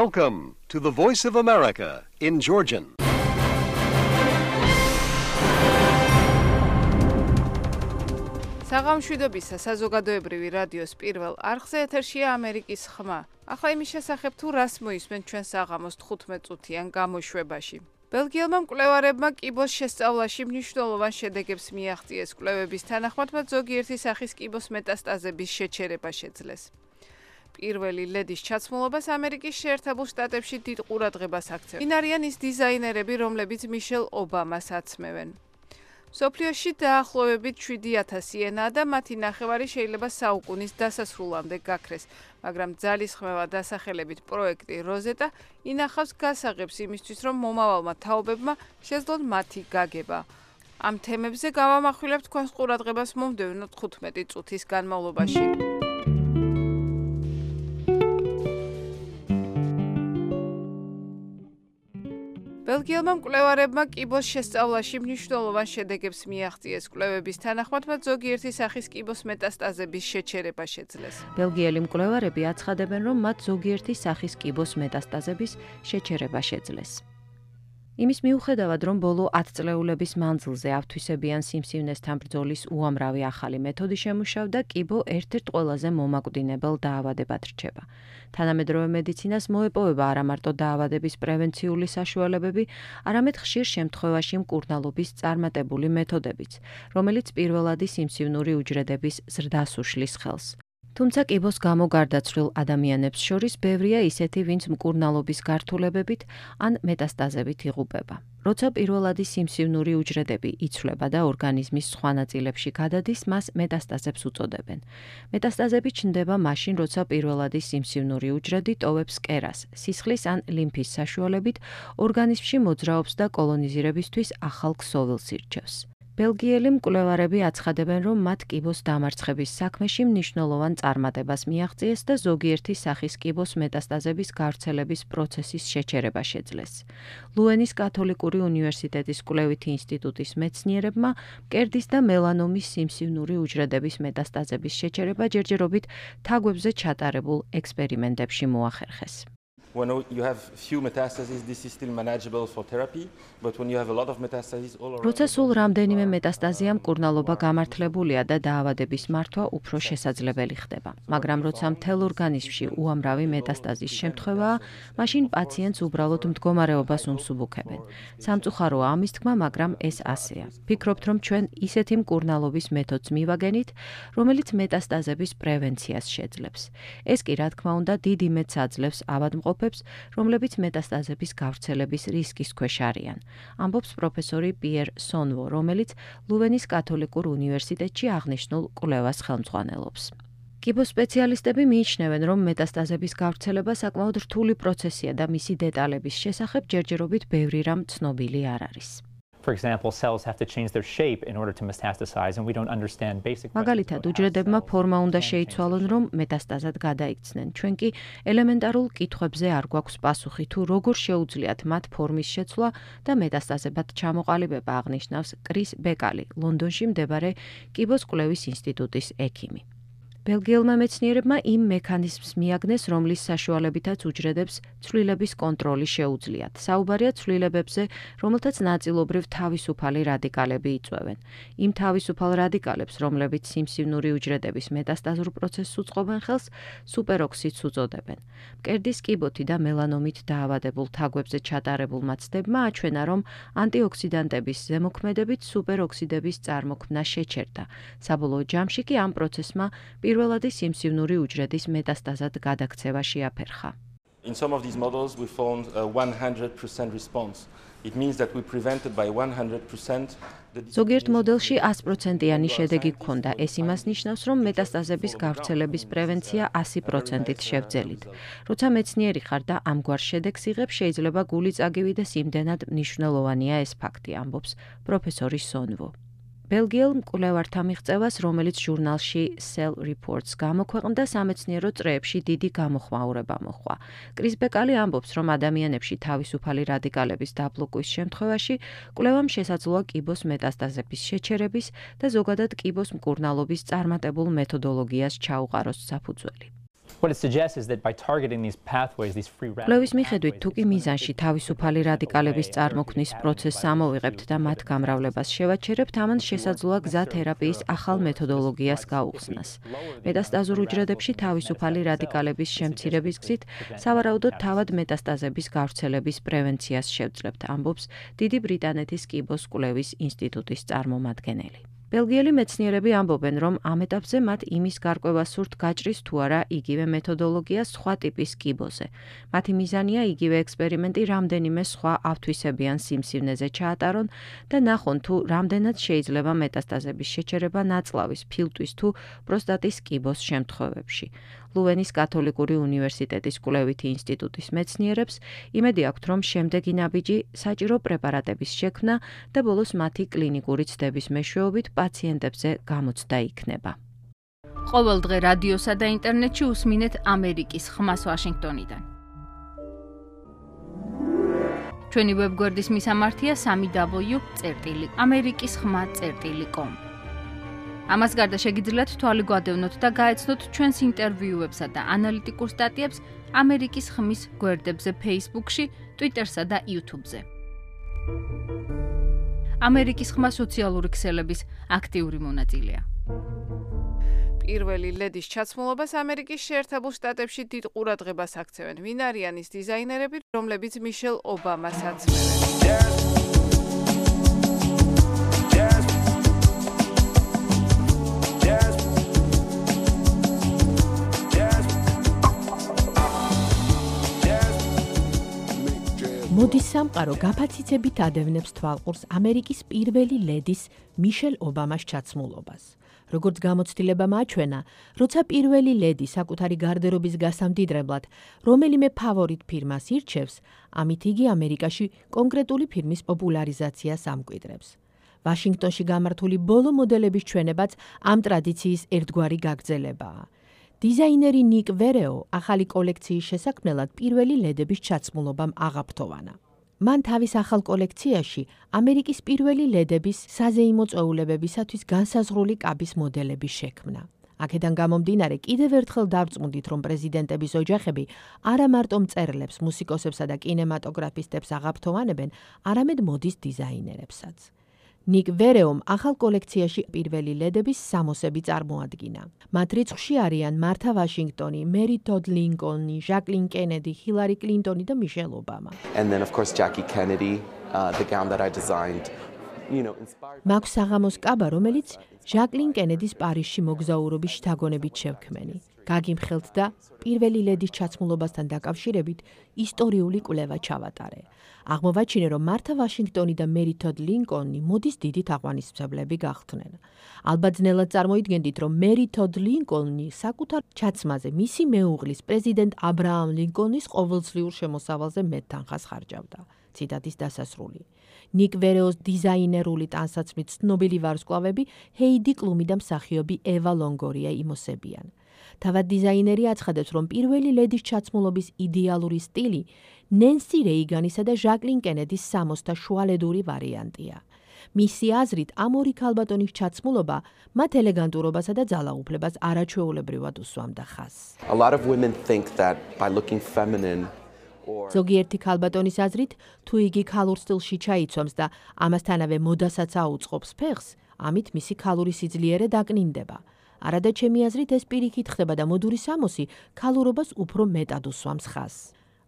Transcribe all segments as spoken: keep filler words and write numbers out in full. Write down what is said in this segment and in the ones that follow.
Welcome to the Voice of America in Georgian. საღამშვიდობისა საზოგადოებრივი რადიოს პირველ არხზე ეთერშია ამერიკის ხმა. ახლა იმის შესახებ თუ რას მოისმენ ჩვენ საღამოს თხუთმეტ წუთიან გამოშვებაში. ბელგიელმა მკვლევარებმა კიბოს შესწავლაში მნიშვნელოვან შედეგებს მიაღწიეს. კვლევების თანახმად მათ ზოგიერთი სახის კიბოს მეტასტაზების შეჩერება შეძლეს. პირველი ლედის ჩაცმულობას ამერიკის შეერთებულ შტატებში დიდ ყურადღებას აქცევენ. ვინ არიან ის დიზაინერები, რომლებიც მიშელ ობამას აცმევენ? სოფლიოში დაახლოებით შვიდი ათასი ენაა და მათი ნახევარი შეიძლება საუკუნის დასასრულამდე გაქრეს, მაგრამ ძალისხმევა დასახელებით პროექტი როზეტა ინახავს გასაღებს იმისთვის, რომ მომავალმა თაობებმა შეძლონ მათი გაგება. ამ თემებზე გავამახვილებთ თქვენს ყურადღებას მომდევნო თხუთმეტი წუთის განმავლობაში. ბელგიელმა მკვლევარებმა კიბოს შესწავლაში მნიშვნელოვან შედეგებს მიაღწიეს. კვლევების თანახმად მათ ზოგიერთი სახის კიბოს მეტასტაზების შეჩერება შეძლეს. ბელგიელი მკვლევარები აცხადებენ, რომ მათ ზოგიერთი სახის კიბოს მეტასტაზების შეჩერება შეძლეს. იმის მიუხედავად, რომ ბოლო ათწლეულების მანძილზე ავთვისებიან სიმსივნესთან ბრძოლის უამრავი ახალი მეთოდი შემუშავდა, კიბო ერთ-ერთ ყველაზე მომაკვდინებელ დაავადებად რჩება. თანამედროვე მედიცინას მოეპოვება არა მარტო დაავადების პრევენციული საშუალებები, არამედ ხშირ შემთხვევაში მკურნალობის წარმატებული მეთოდებიც, რომელიც პირველადი სიმსივნური უჯრედების ზრდას უშლის ხელს. თუმცა კიბოს გამო გარდაცვლილ ადამიანებს შორის ბევრია ისეთი, ვინც მკურნალობის გართულებებით ან მეტასტაზებით იღუპება. როცა პირველადი სიმსივნური უჯრედები იცვლება და ორგანიზმის სხვა ნაწილებში გადადის, მას მეტასტაზებს უწოდებენ. მეტასტაზები ჩნდება მაშინ, როცა პირველადი სიმსივნური უჯრედი ტოვებს კერას, სისხლის ან ლიმფის საშუალებით ორგანიზმში მოძრაობს და კოლონიზირებისთვის ახალ ქსოვილს ირჩევს. ბელგიელი მკვლევარები აცხადებენ, რომ მათ კიბოს დამარცხების საქმეში მნიშვნელოვან წარმატებას მიაღწიეს და ზოგიერთი სახის კიბოს მეტასტაზების გავრცელების პროცესის შეჩერება შეძლეს. ლუენის კათოლიკური უნივერსიტეტის კვლევითი ინსტიტუტის მეცნიერებმა მკერდის და მელანომის სიმსივნური უჯრედების მეტასტაზების შეჩერება ჯერჯერობით თაგვებზე ჩატარებულ ექსპერიმენტებში მოახერხეს. When you have few metastases, this is still manageable for therapy, but when you have a lot of metastases all around. როცა სულ რამდენიმე მეტასტაზია, მკურნალობა გამართლებულია და დაავადების მართვა უფრო შესაძლებელი ხდება. მაგრამ როცა მთელ ორგანიზმში უამრავი მეტასტაზის შემთხვევაა, მაშინ პაციენტს უბრალოდ მდგომარეობას უმსუბუქებენ. სამწუხაროა ამის თქმა, მაგრამ ეს ასეა. ფიქრობთ, რომ ჩვენ ისეთი მკურნალობის მეთოდს მივაგენით, რომელიც მეტასტაზების პრევენციას შეძლებს. ეს კი რა თქმა უნდა დიდი მეტს აძლევს ავადმყოფ რომლებიც მეტასტაზების გავრცელების რისკის ქვეშ არიან, ამბობს პროფესორი პიერ სონვო, რომელიც ლუვენის კათოლიკურ უნივერსიტეტში აღნიშნულ კვლევას ხელმძღვანელობს. კიბოს სპეციალისტები მიიჩნევენ, რომ მეტასტაზების გავრცელება საკმაოდ რთული პროცესია და მისი დეტალების შესახებ ჯერჯერობით ბევრი რამ ცნობილი არ არის. For example, cells have to change their shape in order to metastasize, and we don't understand basic. მაგალითად, უჯრედებმა ფორმა უნდა შეიცვალონ, რომ მეტასტაზად გადაიქცნენ. ჩვენ კი ელემენტარულ კითხვებზე არ გვაქვს პასუხი, თუ როგორ შეუძლიათ მათ ფორმის შეცვლა და მეტასტაზებად ჩამოყალიბება, აღნიშნავს კრის ბეკალი, ლონდონში მდებარე კიბოს კვლევის ინსტიტუტის ექიმი. ბელგიელმა მეცნიერებმა იმ მექანიზმს მიაგნეს, რომლის საშუალებითაც უჯრედებს ცვლილების კონტროლი შეუძლიათ. საუბარია ცვლილებებზე, რომელთაც ნაწილობრივ თავისუფალი რადიკალები იწვევენ. იმ თავისუფალ რადიკალებს, რომლებიც სიმსივნური უჯრედების მეტასტაზურ პროცესს უწყობენ ხელს, სუპეროქსიდს უწოდებენ. მკერდის კიბოთი და მელანომით დაავადებულ თაგვებზე ჩატარებულმა ცდებმა აჩვენა, რომ ანტიოქსიდანტების ზემოქმედებით სუპეროქსიდების წარმოქმნა შეჩერდა. საბოლოო ჯამში კი ამ პროცესმა პირველადი სიმსივნური უჯრედის მეტასტაზად გადაქცევა შეაფერხა. In some of these models we found a one hundred percent response. It means that we prevented by one hundred percent the ზოგიერთ მოდელში sto პროცენტიანი შედეგი გქონდა. ეს იმას ნიშნავს, რომ მეტასტაზების გავრცელების პრევენცია sto პროცენტით შევძელით. როცა მეცნიერი ხარ და ამგვარ შედეგს იღებ, შეიძლება გული წაგივიდეს, იმდენად მნიშვნელოვანია ეს ფაქტი, ამბობს პროფესორი სონვო. ბელგიელ მკვლევართა მიღწევას, რომელიც ჟურნალში Cell Reports გამოქვეყნდა, სამეცნიერო წრეებში დიდი გამოხმაურება მოჰყვა. კრის ბეკალი ამბობს, რომ ადამიანებში თავისუფალი რადიკალების დაბლოკვის შემთხვევაში კვლევამ შესაძლოა კიბოს მეტასტაზების შეჩერების და ზოგადად კიბოს მკურნალობის წარმატებულ მეთოდოლოგიას ჩაუყაროს საფუძველი. What it suggests is that by targeting these pathways, these free radical კვლევის მიხედვით, თუ კი მიზანში თავისუფალი რადიკალების წარმოქმნის პროცესს ამოვიღებთ და მათ გამრავლებას შევაჩერებთ, ამან შესაძლოა გზა თერაპიის ახალ მეთოდოლოგიას გაუხსნას. მეტასტაზურ უჯრედებში თავისუფალი რადიკალების შემცირების გზით სავარაუდოდ თავად მეტასტაზების გავრცელების პრევენციას შევძლებთ, ამბობს დიდი ბრიტანეთის კიბოს კვლევის ინსტიტუტის წარმომადგენელი. ბელგიელი მეცნიერები ამბობენ, რომ ამ ეტაპზე მათ იმის გარკვევა სურთ გაჭრის თუ არა იგივე მეთოდოლოგია სხვა ტიპის კიბოზე. მათი მიზანია იგივე ექსპერიმენტი რამდენიმე სხვა ავთვისებიან სიმსივნეზე ჩაატარონ და ნახონ თუ რამდენად შეიძლება მეტასტაზების შეჩერება ნაწლავის, ფილტვის თუ პროსტატის კიბოს შემთხვევებში. ლუვენის კათოლიკური უნივერსიტეტის კვლევითი ინსტიტუტის მეცნიერებს იმედი აქვთ, რომ შემდეგი ნაბიჯი საჭირო პრეპარატების შექმნა და ბოლოს მათი კლინიკური ცდების მეშვეობით პაციენტებზე გამოცდა იქნება. ყოველდღე რადიოსა და ინტერნეტში უსმინეთ ამერიკის ხმას ვაშინგტონიდან. ჩვენი ვებგვერდის მისამართია სამი დაბლიუ წერტილი ამერიკის ხმა წერტილი კომ. ამას გარდა შეგიძლიათ თვალი გვადევნოთ და გაეცნოთ ჩვენს ინტერვიუებსა და ანალიტიკურ სტატიებს ამერიკის ხმის გვერდებზე Facebook-ში, Twitter-სა და YouTube-ზე. ამერიკის ხმა სოციალური ქსელების აქტიური მონაწილეა. პირველი ლედის ჩაცმულობას ამერიკის შეერთებულ შტატებში დიდ ყურადღებას აქცევენ. ვინ არიან ის დიზაინერები, რომლებიც მიშელ ობამას აცმევენ? მოდის სამყარო გაფაციცებით ადევნებს თვალყურს ამერიკის პირველი ლედის მიშელ ობამას ჩაცმულობას. როგორც გამოცდილებამ აჩვენა, როცა პირველი ლედი საკუთარი გარდერობის გასამდიდრებლად რომელიმე ფავორიტ ფირმას ირჩევს, ამით იგი ამერიკაში კონკრეტული ფირმის პოპულარიზაციას ამკვიდრებს. ვაშინგტონში გამართული ბოლო მოდელების ჩვენებაც ამ ტრადიციის ერთგვარი გაგრძელებაა. დიზაინერი ნიკ ვერეო ახალი კოლექციის შესაქმნელად პირველი ლედების ჩაცმულობამ აღაფრთოვანა. მან თავის ახალ კოლექციაში ამერიკის პირველი ლედების საზეიმო წვეულებებისათვის განსაზღვრული კაბის მოდელები შექმნა. აქედან გამომდინარე, კიდევ ერთხელ დავწმუნდით, რომ პრეზიდენტების ოჯახები არა მარტო მწერლებს, მუსიკოსებსა და კინემატოგრაფისტებს აღაფრთოვანებენ, არამედ მოდის დიზაინერებსაც. ნიკ ვერეომ ახალ კოლექციაში პირველი ლედების სამოსები წარმოადგინა. მათ რიცხვში არიან მართა ვაშინგტონი, მერი ტოდ ლინკოლნი, ჟაკლინ კენედი, ჰილარი კლინტონი და მიშელ ობამა. And then of course Jackie Kennedy, uh, the gown that I designed, you know, inspired. მაქვს საღამოს კაბა, რომელიც ჟაკლინ კენედის პარიზში მოგზაურობის შთაგონებით შევქმენი. გაგიმხელთ და პირველი ლედის ჩაცმულობასთან დაკავშირებით ისტორიული კვლევა ჩავატარე. აღმოვაჩინე, რომ მართა ვაშინგტონი და მერი ტოდ ლინკოლნი მოდის დიდი თაყვანისმცემლები გახდნენ. ალბათ ძნელად წარმოიდგენდით, რომ მერი ტოდ ლინკოლნი საკუთარ ჩაცმაზე მისი მეუღლის პრეზიდენტ აბრაამ ლინკოლნის ყოველწლიურ შემოსავალზე მეტ თანხას ხარჯავდა. ციტატის დასასრული. ნიკ ვერეოს დიზაინერული ტანსაცმლით ცნობილი ვარსკვლავები ჰეიდი კლუმი და მსახიობი ევა ლონგორია იმოსებიან. თავად დიზაინერი აცხადებს, რომ პირველი ლედის ჩაცმულობის იდეალური სტილი ნენსი რეიგანისა და ჟაკლინ კენედის სამოსთა შუალედური ვარიანტია. მისი აზრით, ამ ორი ქალბატონის ჩაცმულობა მათ ელეგანტურობასა და ძალაუფლებას არაჩვეულებრივად უსვამდა ხაზს. A lot of women think that by looking feminine or ზოგიერთი ქალბატონის აზრით, თუ იგი ქალურ სტილში ჩაიცვამს და ამასთანავე მოდასაც აუწყობს ფეხს, ამით მისი ქალური სიძლიერე დაკნინდება. არადა ჩემი აზრით ეს პირიქით ხდება და მოდური სამოსი ქალურობას უფრო მეტად უსვამს ხაზს.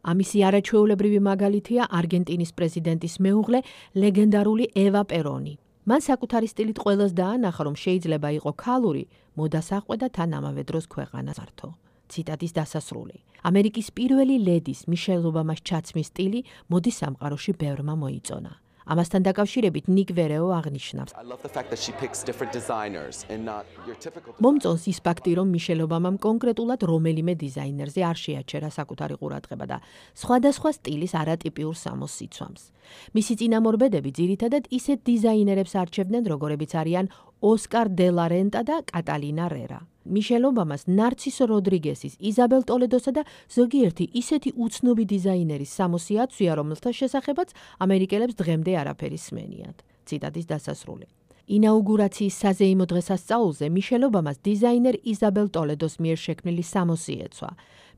ამისი არაჩვეულებრივი მაგალითია არგენტინის პრეზიდენტის მეუღლე, ლეგენდარული ევა პერონი. მან საკუთარი სტილით ყველას დაანახა, რომ შეიძლება იყო ქალური, მოდას აყვედა თან ამავე დროს ქვეყანას ართო. ციტატის დასასრული. ამერიკის პირველი ლედის მიშელ ობამას ჩაცმის სტილი მოდის სამყაროში ბევრმა მოიწონა. ამასთან დაკავშირებით ნიკ ვერეო აღნიშნავს. I love the fact that she picks different designers and not your typical. მომწონს ის ფაქტი, რომ მიშელ ობამამ კონკრეტულად რომელიმე დიზაინერზე არ შეაჩერა საკუთარი ყურადღება და სხვადასხვა სტილის არატიპიურ სამოსს იცვამს. მისი წინამორბედები ძირითადად ისეთ დიზაინერებს არჩევდნენ, როგორებიც არიან ოსკარ დე ლა რენტა და კატალინა რერა. მიშელ ობამას, ნარცისო როდრიგესის, იზაბელ ტოლედოსა და ზოგიერთი ისეთი უცნობი დიზაინერის სამოსი აცვია, რომელთა შესახებაც ამერიკელებს დღემდე არაფერი სმენიათ. ციტატის დასასრული. ინაუგურაციის საზეიმო დღესასწაულზე მიშელ ობამას დიზაინერ იზაბელ ტოლედოს მიერ შექმნილი სამოსი ეცვა.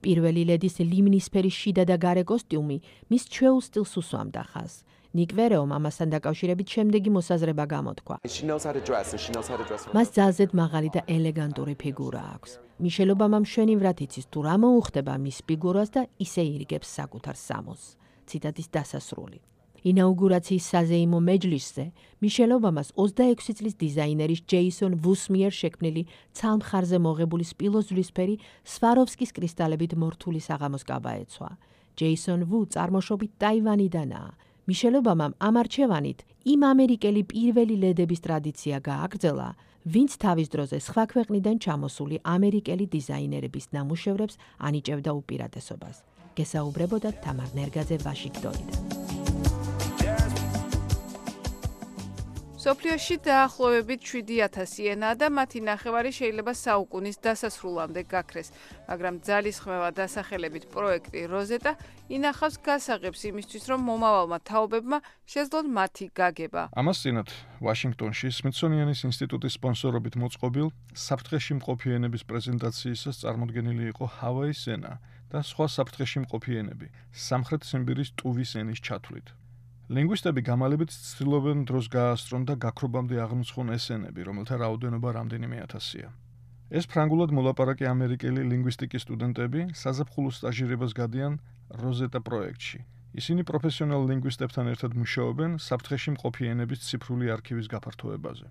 პირველი ლედის ლივნისფერი შიდა და გარე კოსტიუმი მის ჩვეულ სტილს უსვამდა ხაზს. ნიკ ვერეომ ამასთან დაკავშირებით შემდეგი მოსაზრება გამოთქვა. მას ძალზედ მაღალი და ელეგანტური ფიგურა აქვს. მიშელ ობამამ მშვენივრად იცის თუ რა მოუხდება მის ფიგურას და ისე ირგებს საკუთარ სამოსს. ციტატის დასასრული. ინაუგურაციის საზეიმო მეჯლისზე მიშელ ობამას ოცდაექვსი წლის დიზაინერის ჯეისონ ვუს მიერ შექმნილი ცალმხარზე მოღებული სპილოზვლისფერი სვაროვსკის კრისტალებით მორთული საღამოს კაბა ეცვა. ჯეისონ ვუ წარმოშობით ტაივანიდანაა. მიშელ ობამამ ამ არჩევანით იმ ამერიკელი პირველი ლედების ტრადიცია გააგრძელა, ვინც თავის დროზე სხვა ქვეყნიდან ჩამოსული ამერიკელი დიზაინერების ნამუშევრებს ანიჭებდა უპირატესობას. გესაუბრებოდა თამარ ნერგაძე ვაშინგტონიდან. სოფლიოში დაახლოებით შვიდი ათასი ენაა და მათი ნახევარი შეიძლება საუკუნის დასასრულამდე გაქრეს, მაგრამ ძალისხმევა დასახელებით პროექტი როზეტა ინახავს გასაღებს იმისთვის, რომ მომავალმა თაობებმა შეძლონ მათი გაგება. ამას წინათ ვაშინგტონში სმითსონიანის ინსტიტუტის სპონსორობით მოწყობილ საფრთხეში მყოფი ენების პრეზენტაციისას წარმოდგენილი იყო ჰავაის ენა და სხვა საფრთხეში მყოფი ენები სამხრეთ ციმბირის ტუვის ენის ჩათვლით. ლინგვისტები გამალებით ცდილობენ დროს გაასწრონ და გაქრობამდე აღმოჩნდნენ ეს ენები, რომელთა რაოდენობა რამდენიმე ათასია. ეს ფრანგულად მოლაპარაკე ამერიკელი ლინგვისტიკის სტუდენტები საზაფხულო სტაჟირებას გადიან როზეტა პროექტში. ისინი პროფესიონალ ლინგვისტებთან ერთად მუშაობენ საფრთხეში მყოფი ენების ციფრული არქივის გაფართოებაზე.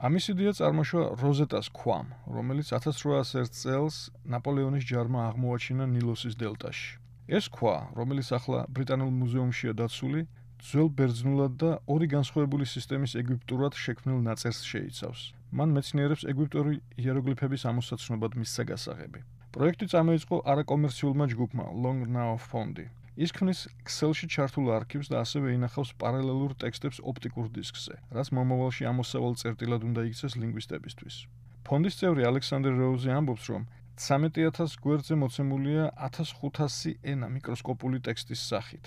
ამის იდეა წარმოშვა როზეტას ქვამ, რომელიც ათას რვაასი ერთ წელს ნაპოლეონის ჯარმა აღმოაჩინა ნილოსის დელტაში. ეს ქვა, რომელიც ახლა ბრიტანულ მუზეუმშია დაცული, ძველ ბერძნულად და ორი განსხვავებული სისტემის ეგვიპტურად შექმნილ ნაწერს შეიცავს. მან მეცნიერებს ეგვიპტური იეროგლიფების ამოსაცნობად მისცა გასაღები. პროექტი წამოიწყო არაკომერციულმა ჯგუფმა Long Now Fondi. ის ქმნის Excel-ში ჩართულ არქივს და ასევე ინახავს პარალელურ ტექსტებს ოპტიკურ დისკზე, რაც მომავალში ამოსავალ წერტილად უნდა იქცეს ლინგვისტებისთვის. ფონდის წევრი ალექსანდრ როუზი ამბობს, რომ ცამეტი ათას გვერდზე მოცემულია ათას ხუთასი ენა მიკროსკოპული ტექსტის სახით.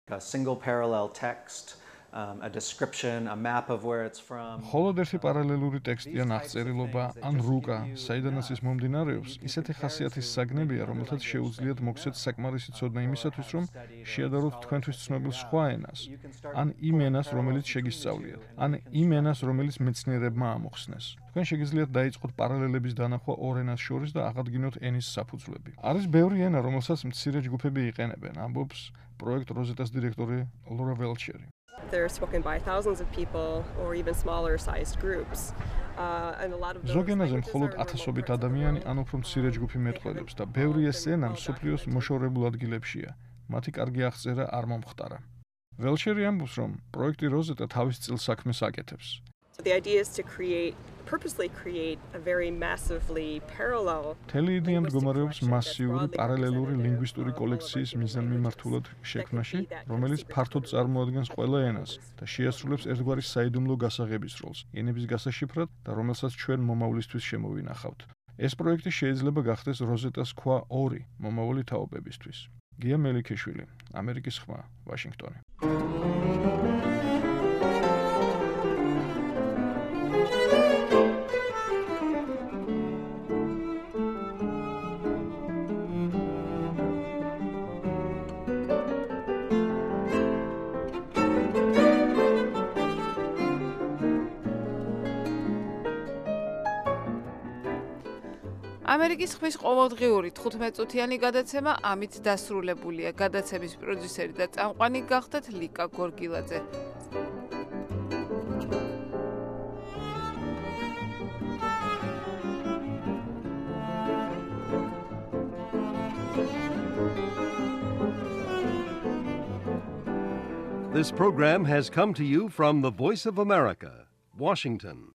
A single parallel text, um, a description, a map of where it's from. Холод ერთი პარალელური ტექსტი ან აღწერილობა ან რუკა, საიდანაც ის მომდინარეობს, ისეთი ხასიათის საგნებია, რომელთაც შეუძლიათ მოგცეთ საკმარისი ცოდნა იმისათვის, რომ შეადაროთ თქვენთვის ცნობილ სხვა ენას, ან იმ ენას, რომელიც შეგისწავლიათ, ან იმ ენას, რომელიც მეცნიერებმა ამოხსნეს. თქვენ შეგიძლიათ დაიწყოთ პარალელების დანახვა ორ ენას შორის და აღადგინოთ ენის საფუძვლები. არის ბევრი ენა, რომელსაც მცირე ჯგუფები იყენებენ, ამბობს პროექტ როზეტას დირექტორი ლორა ველჩერი. They're spoken by thousands of people or even smaller sized groups. Uh, and a lot of those ზოგენაზე მხოლოდ ათასობით ადამიანი ან უფრო მცირე ჯგუფი მეტყველებს და ბევრი ეს ენა მსოფლიოს მოშორებულ ადგილებშია. მათი კარგი აღწერა არ მომხდარა. ველჩერი ამბობს, რომ პროექტი როზეტა თავის წილ საქმეს აკეთებს. The idea is to create purposely create a very massively parallel. თელი იდეა მდგომარეობს მასიური პარალელური ლინგვისტური კოლექციის მიზანმიმართულად შექმნაში, რომელიც ფართოდ წარმოადგენს ყველა ენას და შეასრულებს ერთგვარი საიდუმლო გასაღების როლს ენების გასაშიფრად და რომელსაც ჩვენ მომავლისთვის შემოვინახავთ. ეს პროექტი შეიძლება გახდეს როზეტას ქვა ორი მომავალი თაობებისთვის. გია მელიქეშვილი, ამერიკის ხმა, ვაშინგტონი. ამერიკის ხმის ყოველდღიური თხუთმეტ წუთიანი გადაცემა ამით დასრულებულია. გადაცემის პროდიუსერი და წამყვანი გახდათ ლიკა გორგილაძე. This program has come to you from the Voice of America, Washington.